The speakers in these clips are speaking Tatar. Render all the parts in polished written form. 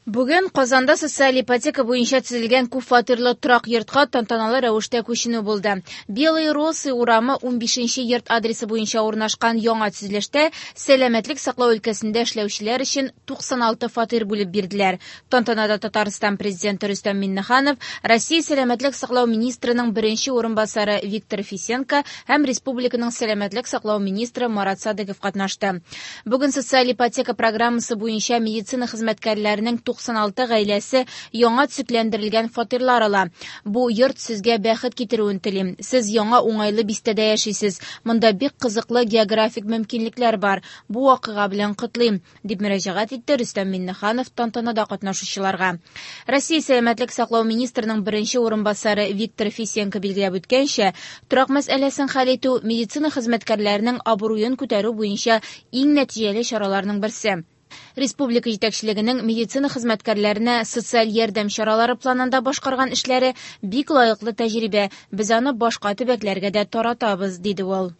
Бүген Казанда социаль ипотека буенча төзелгән күпфатирлы торак йортка тантаналы рәвештә күченү булды. Белые Росы урамы 15 нче йорт адресы буенча урнашкан яңа төзелештә сәламәтлек саклау өлкәсендә эшләүчеләр өчен 96 фатир бүлеп бирделәр. Тантанада Татарстан Президенты Рөстәм Миңнеханов, Россия сәламәтлек саклау министрының беренче урынбасары Виктор Фисенко һәм республиканың сәламәтлек саклау министры Марат Садыйков катнашты. Бүген социаль ипотека программасы буенча медицина хезмәткәрләренең 96 гаиләсе яңа төзекләндерелгән фатирлар ала. Бу йорт сезгә бәхет китерүен телим. Сез яңа уңайлы бистәдә яшисез. Монда бик кызыклы географик мөмкинлекләр бар. Бу вакыйга белән котлыйм, дип мөрәҗәгать итте Рөстәм Миңнеханов тантанада катнашучыларга. Россия сәламәтлек саклау министрының беренче урынбасары Виктор Фисенко билгеләп үткәнчә, торак мәсьәләсен хәл итү медицина хезмәткәрләренең абруен күтәрү буенча иң нәтиҗәле чараларның берсе. Республика җитәкчелегенең медицина хезмәткәрләренә социаль ярдәм чаралары планында башкарган эшләре бик лаеклы тәҗрибә, без аны башка төбәкләргә дә таратабыз, диде ул.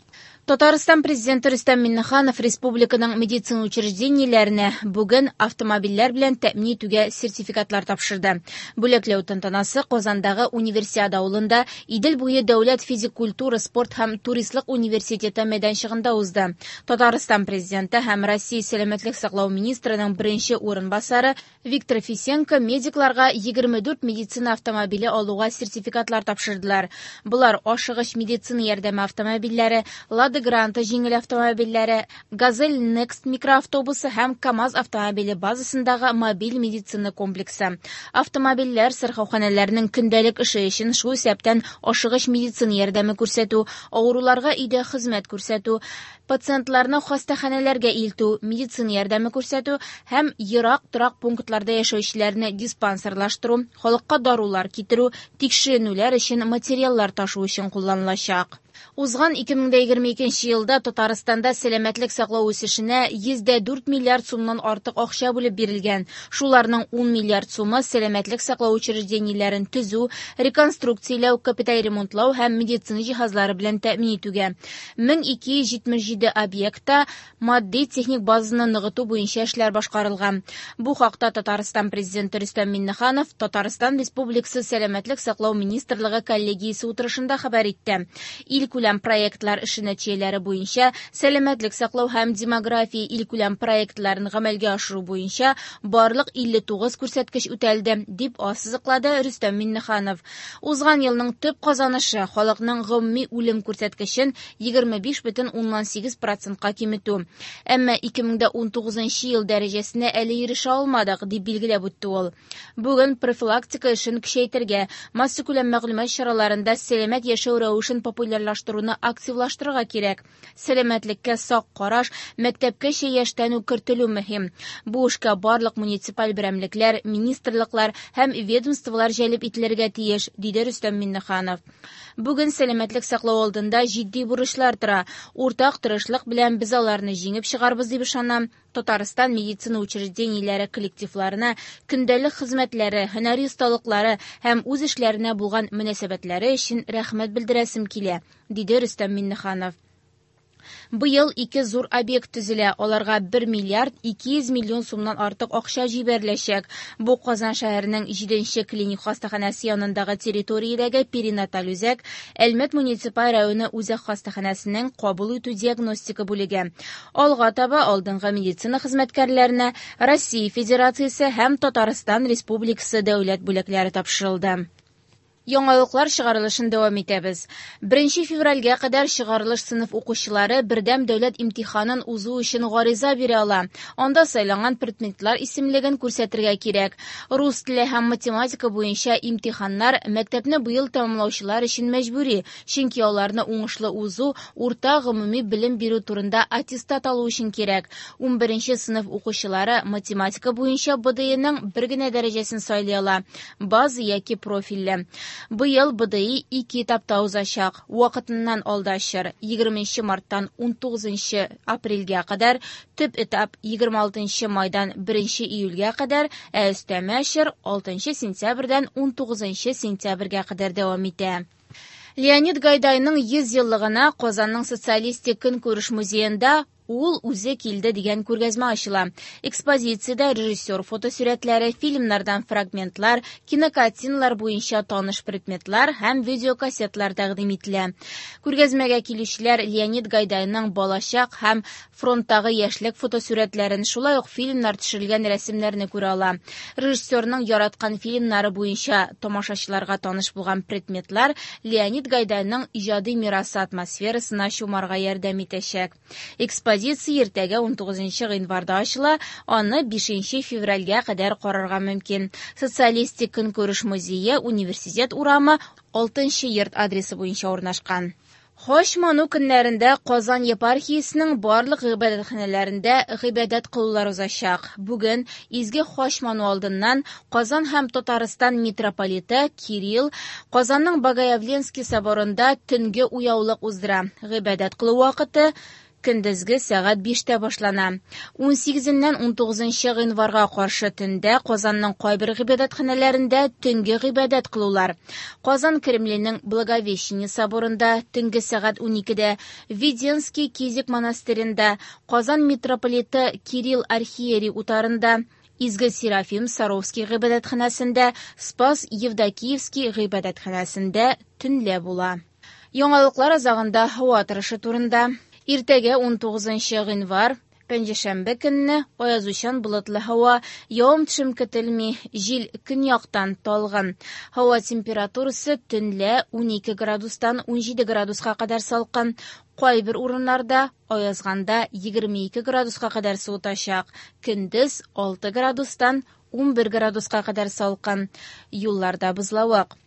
Татарстан Президенты Рөстәм Миңнеханов республиканың медицина учреждениеләренә бүген автомобильләр белән тәэмин итүгә сертификатлар тапшырды. Бүләкләү тантанасы Казандагы Универсиада авылында Идел буе дәүләт физик культура, спорт һәм туристлык университеты мәйданчыгында узды. Татарстан Президенты һәм Россия сәламәтлек саклау министрының беренче урынбасары Виктор Фисенко медикларга 24 медицина автомобиле алуга сертификатлар тапшырдылар. Болар ашыгыч медицина ярдәме автомобильләре, Лада Гранта җиңел автомобильләре, Газель Next микроавтобусы һәм КАМАЗ автомобиле базасындагы мобиль медицина комплексы. Автомобильләр сырхауханәләрнең көндәлек эше өчен, шул исәптән ашыгыч медицина ярдәме күрсәтү, авыруларга өйдә хезмәт күрсәтү, пациентларны хастаханәләргә илтү, медицина ярдәме күрсәтү һәм ерак торак пунктларда яшәүчеләрне диспансерлаштыру, халыкка дарулар китерү, тикшеренүләр өчен материаллар ташу өчен кулланылачак. Узган 2022 елда Татарстанда сәламәтлек саклау үсешенә 104 миллиард сумнан артык акча бүлеп бирелгән. Шуларның 10 миллиард сумы сәламәтлек саклау учреждениеләрен төзү, реконструкцияләү, капиталь ремонтлау һәм медицина җиһазлары белән тәэмин итүгә. 1277 объектта матди-техник базаны ныгыту буенча эшләр башкарылган. Бу хакта Татарстан Президенты Рөстәм Миңнеханов Татарстан Республикасы Сәламәтлек саклау министрлыгы коллегиясе утырышында хәбәр итте. Илкүләм проектлар эше нәтиҗәләре буенча сәламәтлек саклау һәм демография илкүләм проектларын гамәлгә ашыру буенча барлык 59 күрсәткеч үтәлде, дип ассызыклады Рөстәм Миңнеханов. Узган елның төп казанышы халыкның гомуми үлем күрсәткечен 25,8 процентка киметү. Әмма 2019 ел дәрәҗәсенә әле ирешә алмадык, дип билгеләп үтте ул. Бүген профилактика эшен көчәйтергә, массакүләм мәгълүмат чараларында сәламәт яшәү рәвешен популярлаштыруны активлаштырырга кирәк. Сәламәтлеккә сак караш мәктәпкәчә яшьтән үк кертелү мөһим. Бу эшкә барлык муниципаль берәмлекләр, министрлыклар һәм ведомстволар җәлеп ителергә тиеш, диде Рөстәм Миңнеханов. Бүген сәламәтлек саклау алдында җитди бурычлар тора. Уртак тырышлык белән без аларны җиңеп чыгарбыз дип ышанам. Татарстан медицина учреждениеләре коллективларына көндәлек хезмәтләре, һөнәри осталыклары һәм үз эшләренә булган мөнәсәбәтләре өчен рәхмәт белдерәсем килә, диде Рөстәм Миңнеханов. Быел ике зур объект төзелә, аларга 1 миллиард 200 миллион сумнан артык акча җибәреләчәк. Бу Казан шәһәренең 7 клиник хастаханәсе янындагы территориядәге перинаталь үзәк, Әлмәт муниципаль районы үзәк хастаханәсенең кабул итү диагностика бүлеге. Алга таба алдынгы медицина хезмәткәрләренә Россия Федерациясе һәм Татарстан Республикасы дәүләт бүләкләре тапшырылды. Яңалыклар чыгарылышын дәвам итәбез. 1 февральгә кадәр чыгарылыш сыйныф укучылары бердәм дәүләт имтиханын узу өчен гариза бирә ала. Анда сайланган предметлар исемлеген күрсәтергә кирәк. Рус теле һәм математика буенча имтиханнар мәктәпне быел тәмамлаучылар өчен мәҗбүри, чөнки аларны уңышлы узу урта гомуми белем бирү турында аттестат алу өчен кирәк. 11 сыйныф укучылары математика буенча БДИның бер генә дәрәҗәсен сайлый ала: база яки профильле. Быел БДИ ике этапта узачак. Вакытыннан алда чор 20 марттан 19 апрельгә кадәр, төп этап 26 майдан 1 июльгә кадәр, ә өстәмә чор 6 сентябрьдән 19 сентябрьгә кадәр дәвам итә. Леонид Гайдайның 100 еллыгына Казанның социалистик көнкүреш музеенда Ул үзе килде дигән күргәзмә ачыла. Экспозициядә режиссер фотосурәтләре, фильмнардан фрагментлар, кинокартиналар буенча таныш предметлар һәм видеокассеталар тәкъдим ителә. Күргәзмәгә килүчеләр Леонид Гайдайның балачак һәм фронттагы яшьлек фотосурәтләрен, шулай ук фильмнар төшерелгән рәсемнәрне күрә ала. Режиссерның яраткан фильмнары буенча тамашачыларга таныш булган предметлар Леонид Гайдайның иҗади мирасы атмосферасына чумарга ярдәм итәчәк. Экспозиция иртәгә 19 гыйнварда ачыла, аны 5 февральгә кадәр карарга мөмкин. Социалистик көнкүреш музее Университет урамы 6 йорт адресы буенча урнашкан. Хач ману көннәрендә Казан епархиясенең барлык гыйбадәтханәләрендә гыйбадәт кылулар узачак. Бүген изге хач ману алдыннан Казан һәм Татарстан митрополиты Кирилл Казанның Богоявленский соборында төнге уяулык уздыра. Гыйбадәт кылу вакыты көндезге сәгать 5тә башлана. 18-ннән 19 гыйнварга каршы төндә Казанның кайбер гыйбадәтханәләрендә төнге гыйбадәт кылулар. Казан Кремленең Благовещение соборында төнге сәгать 12дә, Введенский Кизик монастыренда, Казан митрополиты Кирилл архиерей утарында, Изге Серафим Саровский гыйбадәтханәсендә, Спас Евдокиевский гыйбадәтханәсендә төнлә була. Яңалыклар азагында һава торышы турында. Иртәгә 19 гыйнвар, пәнҗешәмбе көнне аязучан болытлы һава, явым-төшем көтелми, җил көньяктан талгын. Һава температурасы төнлә 12 градустан 17 градуска кадәр салкын. Кайбер урыннарда аязганда 22 градуска кадәр суытачак. Көндез 6 градустан 11 градуска кадәр салкын. Юлларда бозлавык.